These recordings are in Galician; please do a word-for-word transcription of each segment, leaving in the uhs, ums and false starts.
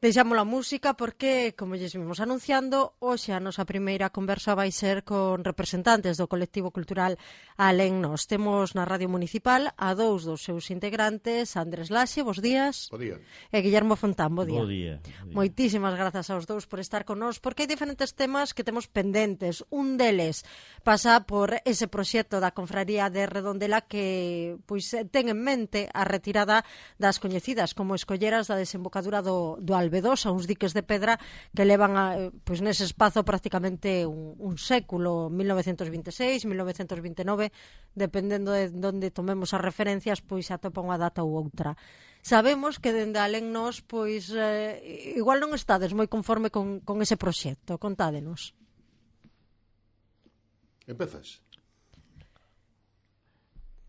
Deixamos a música porque, como lles vimos anunciando, hoxe a nosa primeira conversa vai ser con representantes do colectivo cultural Alén Nós. Temos na Radio Municipal a dous dos seus integrantes, Andrés Laxe, bos días. Bo día. E Guillermo Fontán, bo día. Bo día. Moitísimas grazas aos dous por estar con nós, porque hai diferentes temas que temos pendentes. Un deles pasa por ese proxecto da Confraría de Redondela que pois ten en mente a retirada das coñecidas como escolleras da desembocadura do, do Albedosa, uns diques de pedra que levan a, pois nese espazo prácticamente un, un século, mil novecentos vinte e seis, mil novecentos vinte e nove, dependendo de onde tomemos as referencias, pois atopa unha data ou outra. Sabemos que dende Alén Nós, pois, eh, igual non estades moi conforme con, con ese proxecto. Contádenos. Empezas.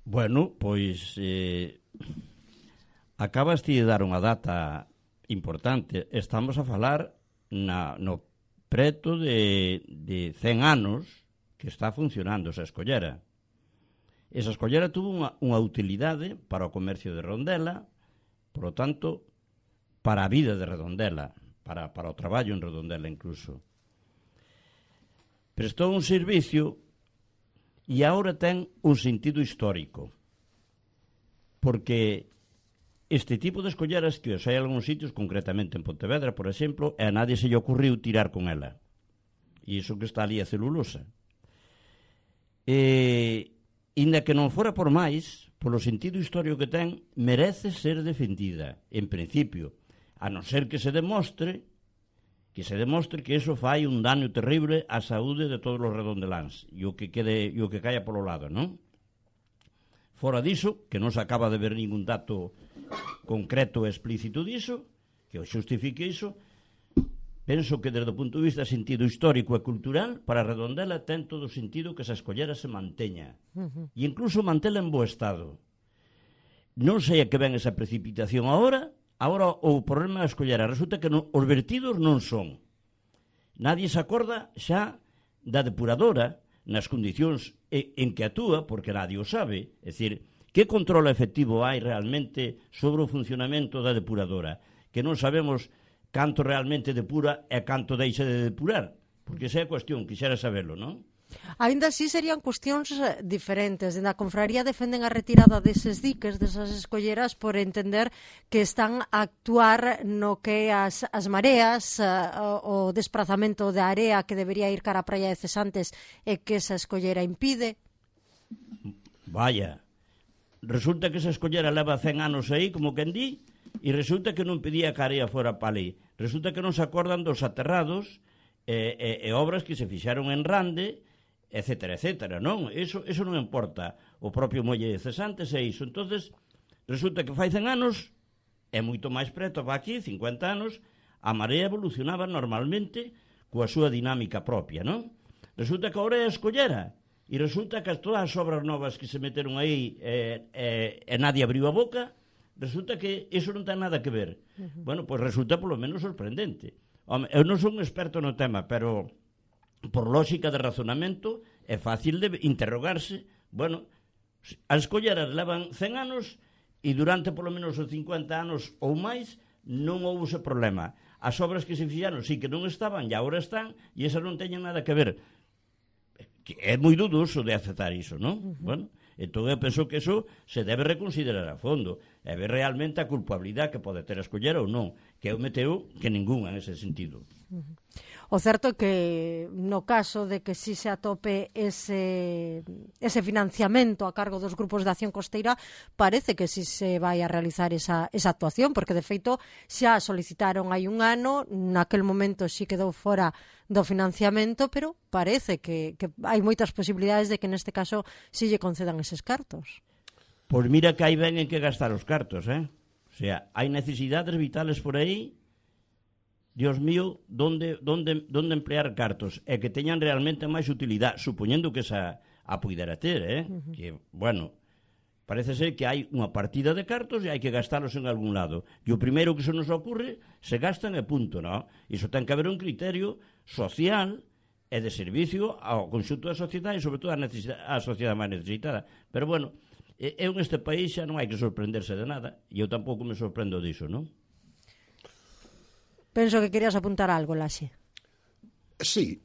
Bueno, pois eh, acabas de dar unha data importante. Estamos a falar na, no preto de, de cen anos que está funcionando esa escollera. Esa escollera tuvo unha, unha utilidade para o comercio de Redondela, por lo tanto, para a vida de Redondela, para, para o traballo en Redondela incluso. Prestou un servicio e agora ten un sentido histórico, porque este tipo de escolleras que os hai en algúns sitios, concretamente en Pontevedra, por exemplo, e a nadie se lle ocurriu tirar con ela. E iso que está ali a celulosa. E, inda que non fora por máis, polo sentido histórico que ten, merece ser defendida, en principio, a non ser que se demostre que se demostre que iso fai un daño terrible á saúde de todos os redondeláns e o que quede e o que caia polo lado, non? Fora diso, que non se acaba de ver ningún dato concreto e explícito diso, que o xustifique iso, penso que desde o punto de vista sentido histórico e cultural, para Redondela ten todo o sentido que esa escollera se manteña. Uh-huh. E incluso mantela en bo estado. Non sei a que ven esa precipitación agora, agora o problema da escollera resulta que non, os vertidos non son. Nadie se acorda xa da depuradora nas condicións en que actúa, porque nadie o sabe. É dicir, que control efectivo hai realmente sobre o funcionamento da depuradora? Que non sabemos canto realmente depura e canto deixa de depurar. Porque esa é a cuestión, quixera saberlo, non? Ainda así serían cuestións diferentes. Na confraría defenden a retirada deses diques, desas escolleras, por entender que están a actuar no que as, as mareas, o, o desprazamento da area que debería ir cara a praia de Cesantes e que esa escollera impide. Vaya, resulta que esa escollera leva cen anos aí, como quen di, e resulta que non pedía que a area fora para ali. Resulta que non se acordan dos aterrados e, e, e obras que se fixaron en Rande, etcétera, etcétera, non? Eso, eso non importa. O propio Muelle de Cesantes é iso. Entonces, resulta que fai cen anos, é moito máis preto, va aquí, cincuenta anos, a marea evolucionaba normalmente coa súa dinámica propia, non? Resulta que agora é a escollera, e resulta que todas as obras novas que se meteron aí eh, eh, e nadie abriu a boca, resulta que iso non ten nada que ver. Uh-huh. Bueno, pois pues resulta polo menos sorprendente. Home, eu non son un experto no tema, pero por lógica de razonamento é fácil de interrogarse. Bueno, as escolleras levan cen anos e durante polo menos os cincuenta anos ou máis non houve ese problema. As obras que se fixaron sí que non estaban e agora están, e esas non teñen nada que ver. Que é moi dudoso de aceptar iso, non? Uh-huh. Bueno, entón eu penso que eso se debe reconsiderar a fondo e ver realmente a culpabilidade que pode ter a escollera ou non, que eu meteo que ninguna en ese sentido. Uh-huh. O certo é que no caso de que si se atope ese, ese financiamento a cargo dos grupos de acción costeira, parece que si se vai a realizar esa, esa actuación, porque de feito xa solicitaron hai un ano, naquel momento si quedou fora do financiamento, pero parece que, que hai moitas posibilidades de que neste caso si lle concedan eses cartos. Pois mira que hai ben en que gastar os cartos, eh? O sea, hai necesidades vitales por aí. Dios mío, donde, donde, donde emplear cartos e que teñan realmente máis utilidade, supoñendo que esa a puidera ter, eh? Uh-huh. Que, bueno, parece ser que hai unha partida de cartos e hai que gastalos en algún lado. E o primeiro que se nos ocurre, se gastan e punto, non? Iso ten que haber un criterio social e de servicio ao conxunto da sociedade e, sobre todo, á sociedade máis necesitada. Pero, bueno, eu neste país xa non hai que sorprenderse de nada e eu tampouco me sorprendo diso, non? Penso que querías apuntar algo, Laxe. Sí.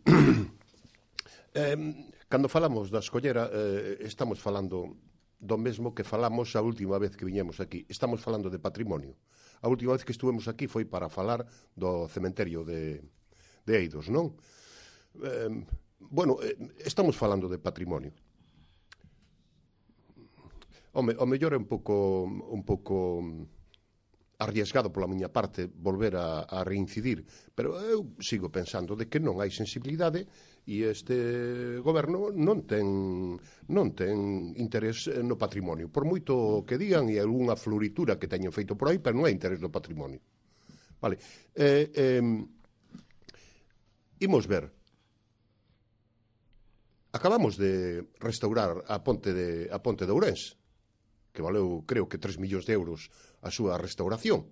eh, cando falamos da escollera, eh, estamos falando do mesmo que falamos a última vez que viñemos aquí. Estamos falando de patrimonio. A última vez que estuvemos aquí foi para falar do cementerio de, de Eidos, non? Eh, bueno, eh, estamos falando de patrimonio. Home, o mellor é un pouco un pouco arriesgado pola miña parte volver a, a reincidir, pero eu sigo pensando de que non hai sensibilidade e este goberno non ten non ten interés no patrimonio, por moito que digan e algunha floritura que teñen feito por aí, pero non hai interés no patrimonio. Vale. Eh, eh, imos ver. Acabamos de restaurar a ponte de a ponte de Ourense, que valeu, creo que tres millóns de euros a súa restauración.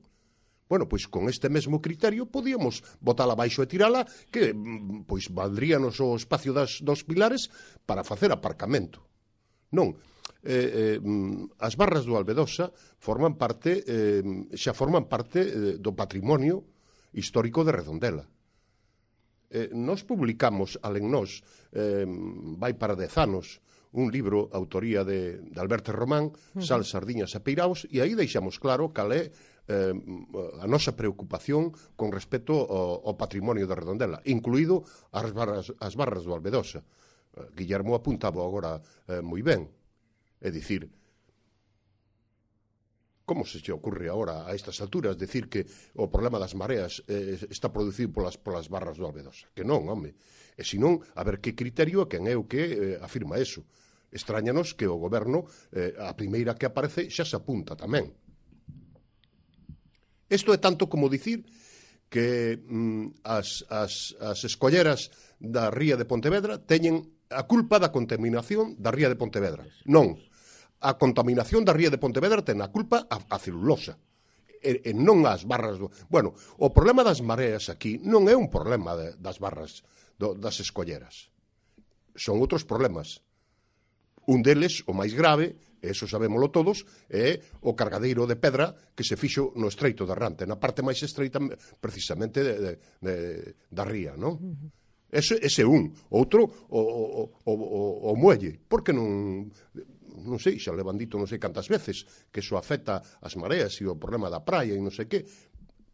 Bueno, pois con este mesmo criterio podíamos botala abaixo e tirala, que pois valdríanos o espacio das dos pilares para facer aparcamento. Non, eh, eh, as barras do Albedosa forman parte, eh, xa forman parte eh, do patrimonio histórico de Redondela. Eh, nos publicamos, alen nós, eh, vai para dez anos, un libro, autoría de, de Alberto Román, Sal, Sardiñas e Peiraos, e aí deixamos claro cal é eh, a nosa preocupación con respecto ao, ao patrimonio de Redondela, incluído as barras, as barras do Albedosa. Eh, Guillermo apuntaba agora eh, moi ben. É dicir, como se che ocurre agora a estas alturas decir que o problema das mareas eh, está producido polas, polas barras do Albedosa? Que non, home. E senón, a ver que criterio e quen é o que eh, afirma eso. Estráñanos que o goberno, eh, a primeira que aparece, xa se apunta tamén. Isto é tanto como dicir que mm, as, as, as escolleras da ría de Pontevedra teñen a culpa da contaminación da ría de Pontevedra. Non. A contaminación da ría de Pontevedra ten a culpa a, a celulosa. E, e non as barras do... Bueno, o problema das mareas aquí non é un problema de, das barras do, das escolleras. Son outros problemas. Un deles, o máis grave, e eso sabémolo todos, é o cargadeiro de pedra que se fixo no Estreito de Rante, na parte máis estreita precisamente de, de, de, da ría, non? Ese, ese é un. Outro, o, o, o, o, o muelle. Porque non... non sei, xa levan dito non sei cantas veces que eso afecta as mareas e o problema da praia e non sei que,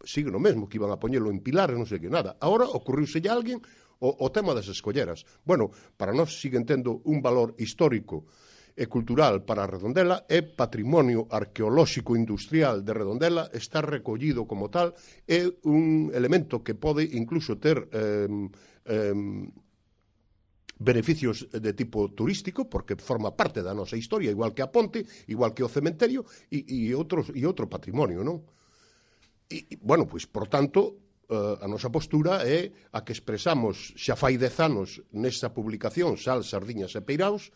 sigue no mesmo, que iban a poñelo en pilares, non sei que nada. Agora ocurriuse a alguén o, o tema das escolleras. Bueno, para nós siguen tendo un valor histórico e cultural para Redondela, é patrimonio arqueolóxico industrial de Redondela, está recollido como tal, é un elemento que pode incluso ter eh, eh, beneficios de tipo turístico, porque forma parte da nosa historia, igual que a ponte, igual que o cementerio, e, e, outros, e outro patrimonio, non? E, e, bueno, pois, por tanto, uh, a nosa postura é a que expresamos xa fai dez anos nesa publicación Sal, Sardiñas e Peiraos,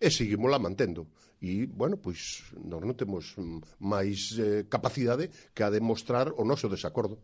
e seguimos mantendo. E, bueno, pois, nós non temos máis eh, capacidade que a de mostrar o noso desacordo.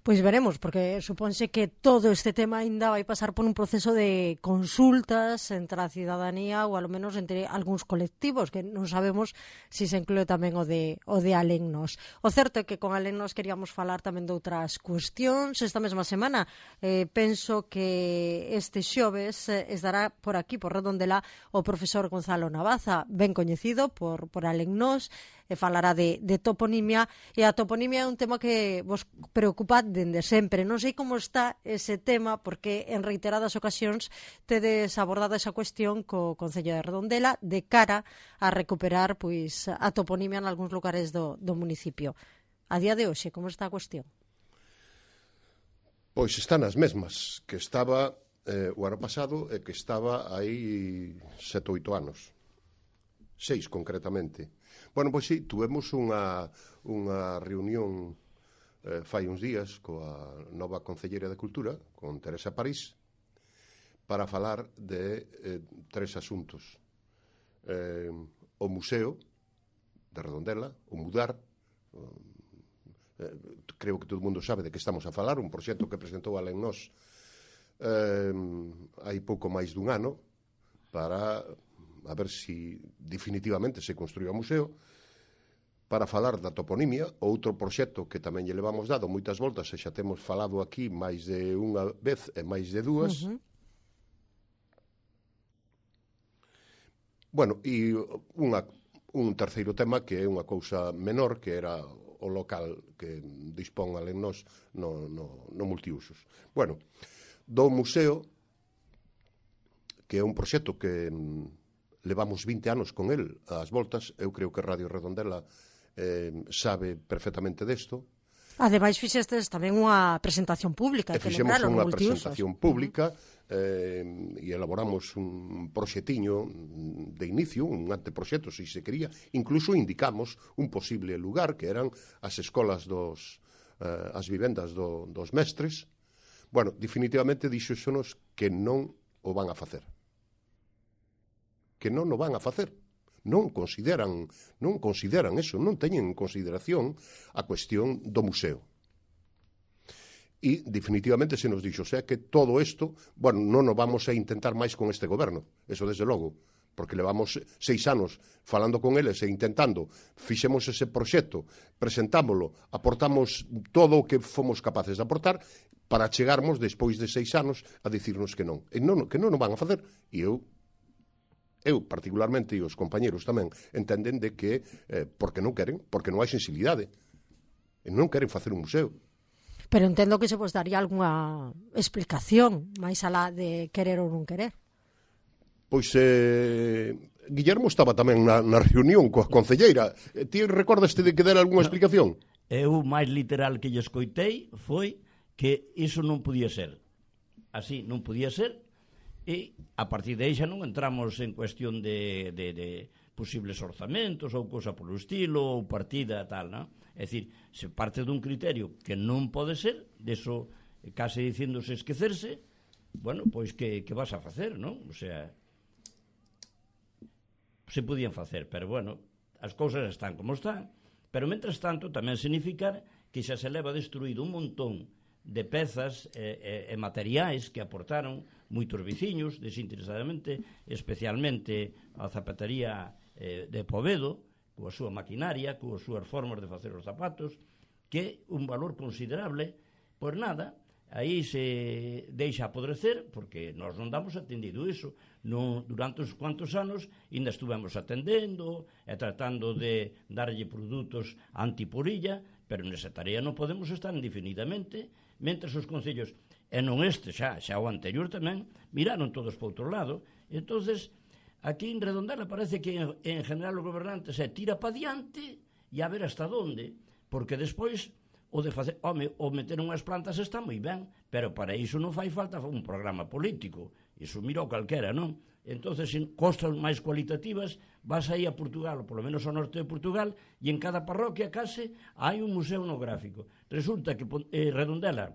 Pois veremos, porque supónse que todo este tema ainda vai pasar por un proceso de consultas entre a cidadanía ou, alo menos, entre algúns colectivos, que non sabemos se se inclúe tamén o de, o de Alennos. O certo é que con Alennos queríamos falar tamén de outras cuestións. Esta mesma semana eh, penso que este xoves eh, estará por aquí, por Redondela, o profesor Gonzalo Navaza, ben coñecido por, por Alennos, e falará de, de toponimia, e a toponimia é un tema que vos preocupa dende sempre. Non sei como está ese tema, porque en reiteradas ocasións tedes abordado esa cuestión co Concello de Redondela de cara a recuperar pois a toponimia en algúns lugares do, do municipio. A día de hoxe, como está a cuestión? Pois están as mesmas que estaba eh, o ano pasado e que estaba aí sete ou oito anos. Seis, concretamente. Bueno, pois sí, tuvemos unha, unha reunión eh, fai uns días coa nova Concelleira de Cultura, con Teresa París, para falar de eh, tres asuntos. Eh, o Museo de Redondela, o Mudar, eh, creo que todo o mundo sabe de que estamos a falar, un proxecto que presentou Alennos eh, hai pouco máis dun ano, para a ver si definitivamente se construía o museo. para falar da toponimia, outro proxecto que tamén lle levamos dado moitas voltas e xa temos falado aquí máis de unha vez e máis de dúas. Uh-huh. Bueno, e unha, un terceiro tema que é unha cousa menor, que era o local que dispón alén nos no, no, no multiusos. Bueno, do museo, que é un proxecto que levamos vinte anos con el ás voltas, eu creo que Radio Redondela eh, sabe perfectamente desto. Ademais, fixestes tamén unha presentación pública. E fixemos unha presentación pública eh, e elaboramos un proxetiño de inicio, un anteproxecto, se se quería. Incluso indicamos un posible lugar, que eran as escolas dos, eh, as vivendas do, dos mestres. Bueno, definitivamente dixoxonos que non o van a facer. Que non o van a facer. Non consideran, non consideran eso, non teñen en consideración a cuestión do museo. E definitivamente se nos dixo, o sea, que todo isto, bueno, non o vamos a intentar máis con este goberno, eso desde logo, porque levamos seis anos falando con eles e intentando, fixemos ese proxecto, presentámoslo, aportamos todo o que fomos capaces de aportar para chegarmos despois de seis anos a dicirnos que non, e non que non o van a facer, e eu Eu, particularmente, e os compañeros tamén, entenden de que, eh, porque non queren, porque non hai sensibilidade. E non queren facer un museo. Pero entendo que se vos daría algunha explicación máis alá de querer ou non querer. Pois, eh, Guillermo estaba tamén na, na reunión coa concelleira. Ti recordaste de que dera algunha explicación? Eu, máis literal que lle escoitei, foi que iso non podía ser. Así, non podía ser. E a partir de aí xa non entramos en cuestión de, de, de posibles orzamentos ou cousa polo estilo ou partida tal, non? É dicir, se parte dun criterio que non pode ser, deso case dicíndose esquecerse, bueno, pois que, que vas a facer, non? O sea, se podían facer, pero bueno, as cousas están como están, pero mentras tanto tamén significar que xa se leva destruído un montón de pezas e, e, e materiais que aportaron moitos veciños desinteresadamente, especialmente a zapatería eh, de Povedo, coa súa maquinaria, coas súas formas de facer os zapatos, que é un valor considerable. Pois nada, aí se deixa apodrecer, porque nós non damos atendido iso. Non, durante uns cuantos anos ainda estuvemos atendendo e tratando de darlle produtos antipurilla, pero nesa tarea non podemos estar indefinidamente, mentres os concellos, e non este xa, xa o anterior tamén, miraron todos para outro lado. Entonces, aquí en Redondela parece que en, en general o gobernante se tira pa diante e a ver hasta onde, porque despois o de facer, home, o meter unhas plantas está moi ben, pero para iso non fai falta un programa político, iso mira o calquera, non? Entonces, en costas máis cualitativas, vas aí a Portugal, ou polo menos ao norte de Portugal, e en cada parroquia case hai un museo etnográfico. Resulta que eh, Redondela,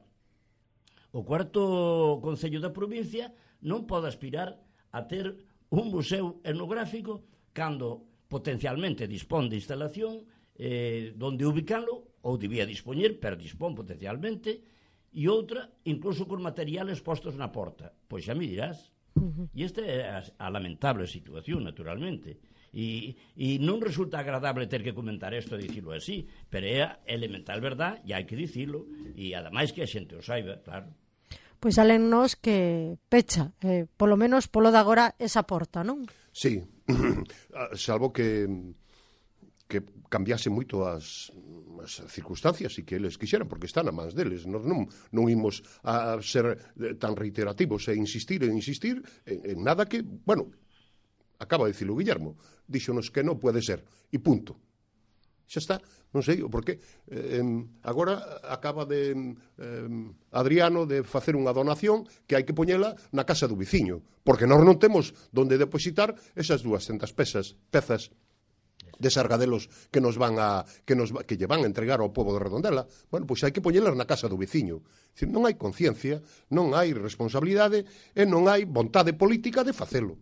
o cuarto concello da provincia, non pode aspirar a ter un museo etnográfico cando potencialmente dispón de instalación eh, donde ubicalo, ou debía dispoñer, pero dispón potencialmente, e outra, incluso con materiales postos na porta. Pois xa me dirás. Uh-huh. E esta é a, a lamentable situación, naturalmente. E, e non resulta agradable ter que comentar isto e dicilo así, pero é a elemental verdad, e hai que dicilo, e ademais que a xente o saiba, claro. Pois alennos que pecha, eh, polo menos polo de agora, esa porta, non? Sí, salvo que que cambiase moito as, as circunstancias e que eles quixeran, porque están a mans deles. Nos non, non imos a ser tan reiterativos e insistir e insistir en, en nada que, bueno, acaba de dicilo Guillermo, díxonos que non pode ser, e punto. Xa está, non sei o porqué. Eh, agora acaba de eh, Adriano de facer unha donación que hai que poñela na casa do veciño, porque nós non temos donde depositar esas dúascentas pezas, pezas de sargadelos que nos van a que nos que lle van a entregar ao pobo de Redondela. Bueno, pois hai que poñelas na casa do veciño. Dicir, non hai conciencia, non hai responsabilidade e non hai vontade política de facelo.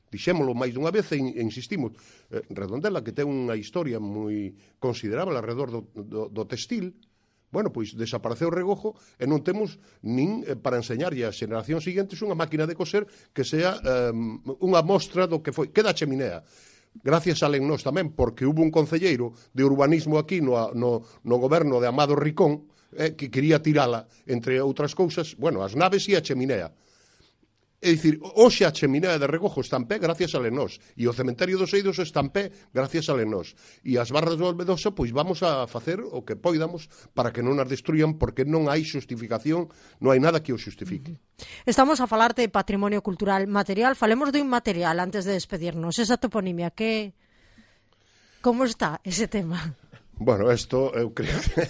Dixémolo máis dunha vez e insistimos. Eh, Redondela, que ten unha historia moi considerable alrededor do, do, do textil, bueno, pois desapareceu o regojo e non temos nin eh, para enseñarlle ás xeracións seguintes unha máquina de coser que sea eh, unha mostra do que foi. Queda a cheminea. gracias a Lennos tamén, porque hubo un concelleiro de urbanismo aquí no, no, no goberno de Amado Ricón, eh, que quería tirala, entre outras cousas, bueno, as naves e a cheminea. É dicir, hoxe a cheminea de Regojo está en pé gracias a Lenós, e o cementerio dos Eidos está en pé gracias a Lenós, e as barras do Albedosa, pois vamos a facer o que poidamos para que non as destruyan, porque non hai xustificación, non hai nada que o xustifique. Estamos a falar de patrimonio cultural material, falemos do inmaterial antes de despedirnos. Esa toponimia, que... como está ese tema? Bueno, esto, eu creo que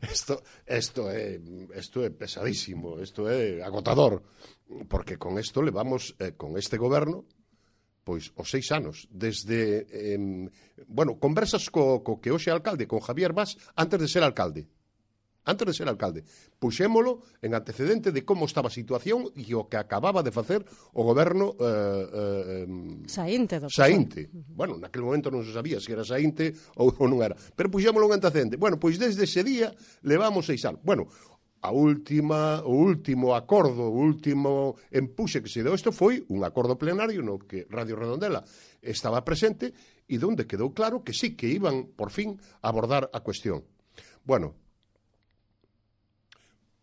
esto, esto, é, esto é pesadísimo, esto é agotador, porque con esto levamos, eh, con este goberno, pois os seis anos, desde, eh, bueno, conversas co, co que hoxe é alcalde, con Javier Mas, antes de ser alcalde. Antes de ser alcalde, puxémolo en antecedente de como estaba a situación e o que acababa de facer o goberno eh, eh, Saínte do Saínte. Bueno, naquele momento non se sabía se era Saínte ou, ou non era, pero puxémolo en antecedente. Bueno, pois desde ese día levamos seis anos. Bueno, a última, o último acordo, o último empuxe que se deu isto foi un acordo plenario no que Radio Redondela estaba presente e donde quedou claro que sí, que iban por fin a abordar a cuestión. Bueno,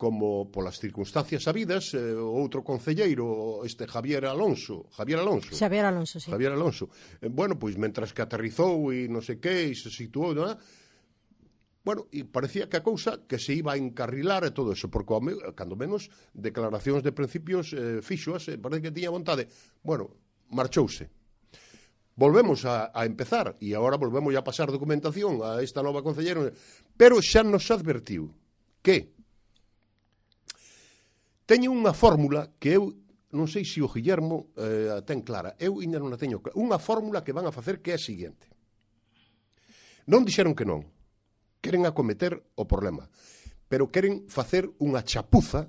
como polas circunstancias sabidas, eh, outro concelleiro, este Javier Alonso, Javier Alonso. Xavier Alonso, sí. Javier Alonso. Eh, bueno, pois, mentras que aterrizou e non sei que, e se situou, non é? Bueno, e parecía que a cousa que se iba a encarrilar e todo eso, porque, cando menos, declaracións de principios eh, fixoas, eh, parece que tiña vontade. Bueno, marchouse. Volvemos a, a empezar, e agora volvemos a pasar documentación a esta nova concelleira, pero xa nos advertiu que teño unha fórmula que eu, non sei se o Guillermo eh, ten clara, eu ainda non a teño clara, unha fórmula que van a facer que é a seguinte. Non dixeron que non, queren acometer o problema, pero queren facer unha chapuza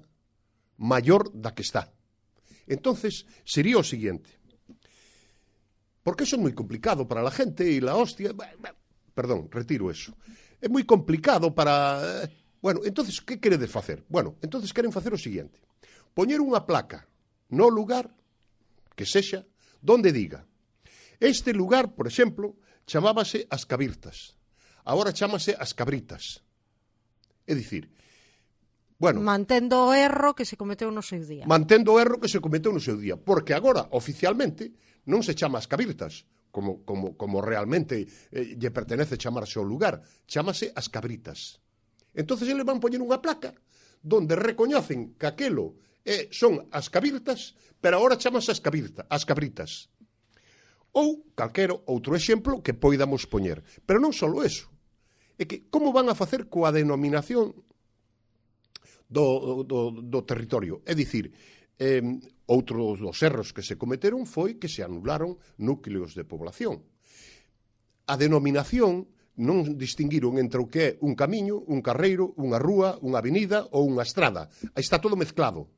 maior da que está. Entonces, sería o seguinte, porque eso é moi complicado para la gente e la hostia, perdón, retiro eso, é moi complicado para... Bueno, entonces, que queredes facer? Bueno, entonces queren facer o seguinte, poñer unha placa no lugar que sexa donde diga este lugar, por exemplo, chamábase As Cabirtas, agora chámase As Cabritas. É dicir, bueno, mantendo o erro que se cometeu no seu día. Mantendo o erro que se cometeu no seu día, porque agora oficialmente non se chama As Cabirtas, como como como realmente eh, lle pertenece chamarse ao lugar, chámase As Cabritas. Entonces eles van poñer unha placa donde recoñecen que aquelo eh, son as cabirtas, pero agora chamase as, cabirta, as cabritas. Ou calquero outro exemplo que poidamos poñer. Pero non só eso. É que como van a facer coa denominación do, do, do territorio? É dicir, eh, outro dos erros que se cometeron foi que se anularon núcleos de población. A denominación non distinguiron entre o que é un camiño, un carreiro, unha rúa, unha avenida ou unha estrada. Aí está todo mezclado.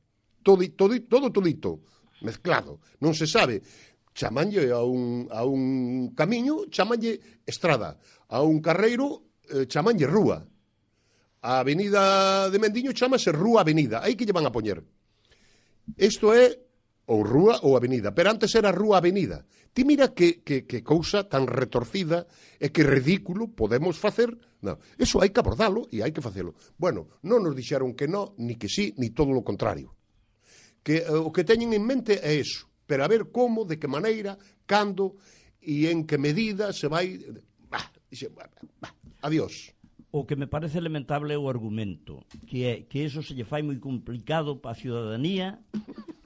Todo, todo, todo todito mezclado. Non se sabe. Chamanlle a un, a un camiño, chamanlle estrada. A un carreiro, eh, chamanlle rúa. A avenida de Mendiño chamase Rúa Avenida. Aí que lle van a poñer. Isto é ou rúa ou avenida. Pero antes era Rúa Avenida. Ti mira que, que, que cousa tan retorcida e que ridículo podemos facer. Non, eso hai que abordalo e hai que facelo. Bueno, non nos dixeron que non, ni que sí, ni todo o contrario. Que eh, o que teñen en mente é eso, pero a ver como, de que maneira, cando e en que medida se vai... Bah, dixe, bah, bah, adiós. O que me parece lamentable é o argumento, que é que eso se lle fai moi complicado para a ciudadanía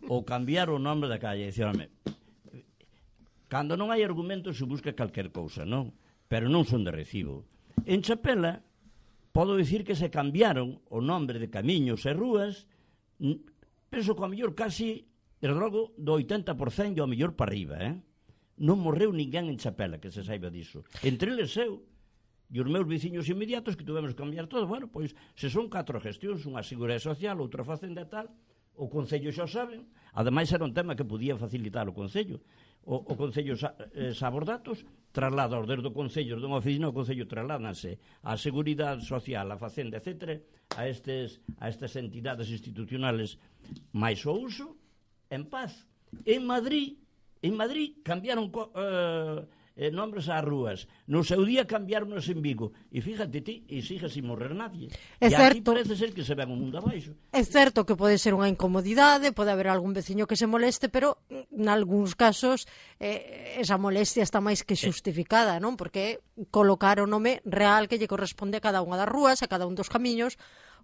ou cambiar o nome da calle. Dicirame, cando non hai argumento se busca calquer cousa, non? Pero non son de recibo. En Chapela, podo dicir que se cambiaron o nombre de camiños e rúas, penso que ao mellor casi, desde logo, do oitenta por cento ao mellor para arriba, eh? Non morreu ninguén en Chapela, que se saiba diso. Entre eles eu, e os meus veciños inmediatos que tuvemos que cambiar todo. Bueno, pois, se son catro gestións, unha seguridade social, outra facenda e tal, o Concello xa saben, ademais era un tema que podía facilitar o Concello. O, o Concello sa, eh, sabe os datos, traslada os desde o Concello, dunha oficina, o Concello trasládanse a Seguridade Social, a Facenda, etcétera, a estes, a estas entidades institucionales máis o uso, en paz. En Madrid, En Madrid cambiaron co, eh, eh, nombres ás rúas. No seu día cambiaronnos en Vigo. E fíjate ti, e sigue sin morrer nadie. É e certo. aquí parece ser que se ven o mundo abaixo. É certo que pode ser unha incomodidade, pode haber algún veciño que se moleste, pero nalgúns casos eh, esa molestia está máis que xustificada, non? Porque colocar o nome real que lle corresponde a cada unha das rúas, a cada un dos camiños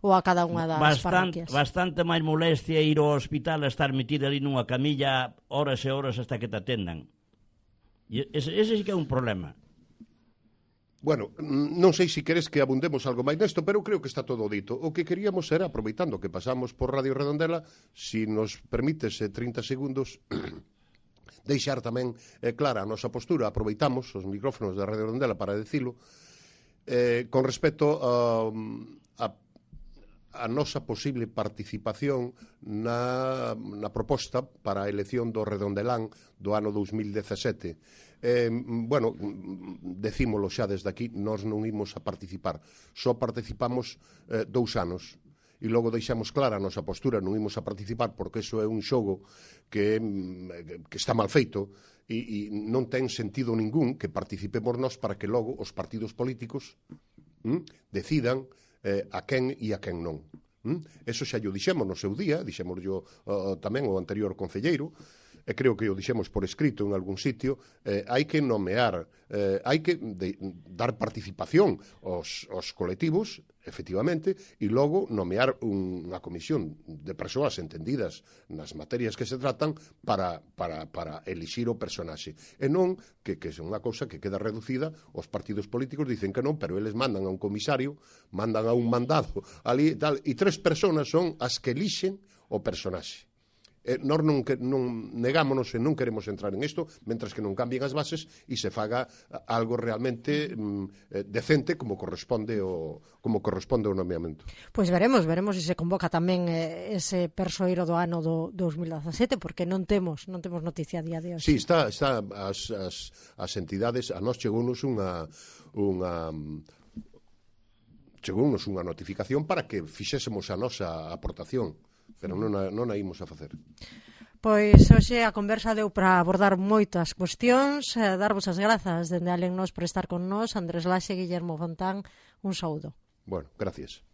ou a cada unha das Bastant, parroquias. bastante máis molestia ir ao hospital a estar metida ali nunha camilla horas e horas hasta que te atendan. E ese, ese sí que é un problema. Bueno, non sei se queres que abundemos algo máis nesto, pero creo que está todo dito. O que queríamos era, aproveitando que pasamos por Radio Redondela, si nos permites eh, trinta segundos, deixar tamén eh, clara a nosa postura. Aproveitamos os micrófonos da Radio Redondela para decilo, eh, con respecto a, a a nosa posible participación na, na proposta para a elección do Redondelán do ano dous mil dezasete. Eh, bueno, decímolo xa desde aquí, nós non imos a participar. Só participamos eh, dous anos. E logo deixamos clara a nosa postura, non imos a participar porque iso é un xogo que, que está mal feito e, e non ten sentido ningún que participemos nós para que logo os partidos políticos hm, decidan eh, a quen e a quen non. ¿Mm? Eso xa yo dixemos no seu día, dixemos yo uh, tamén o anterior concelleiro, e creo que o dixemos por escrito en algún sitio, eh, hai que nomear, eh, hai que de, dar participación aos, aos colectivos, efectivamente, e logo nomear unha comisión de persoas entendidas nas materias que se tratan para, para, para elixir o personaxe. E non que, que é unha cousa que queda reducida, os partidos políticos dicen que non, pero eles mandan a un comisario, mandan a un mandado ali e tal, e tres persoas son as que elixen o personaxe. Eh, nós non, que, non negámonos e non queremos entrar en isto mentras que non cambien as bases e se faga algo realmente mm, eh, decente como corresponde o, como corresponde o nomeamento. Pois veremos, veremos se se convoca tamén eh, ese persoeiro do ano do dous mil dezasete, porque non temos non temos noticia a día de hoxe. Sí, está, está as, as, as entidades, a nós chegounos unha unha chegounos unha notificación para que fixésemos a nosa aportación, pero non a, non a imos a facer. Pois hoxe a conversa deu para abordar moitas cuestións, eh, darvos as grazas dende Alennos por estar con nós, Andrés Laxe, Guillermo Fontán, un saúdo. Bueno, gracias.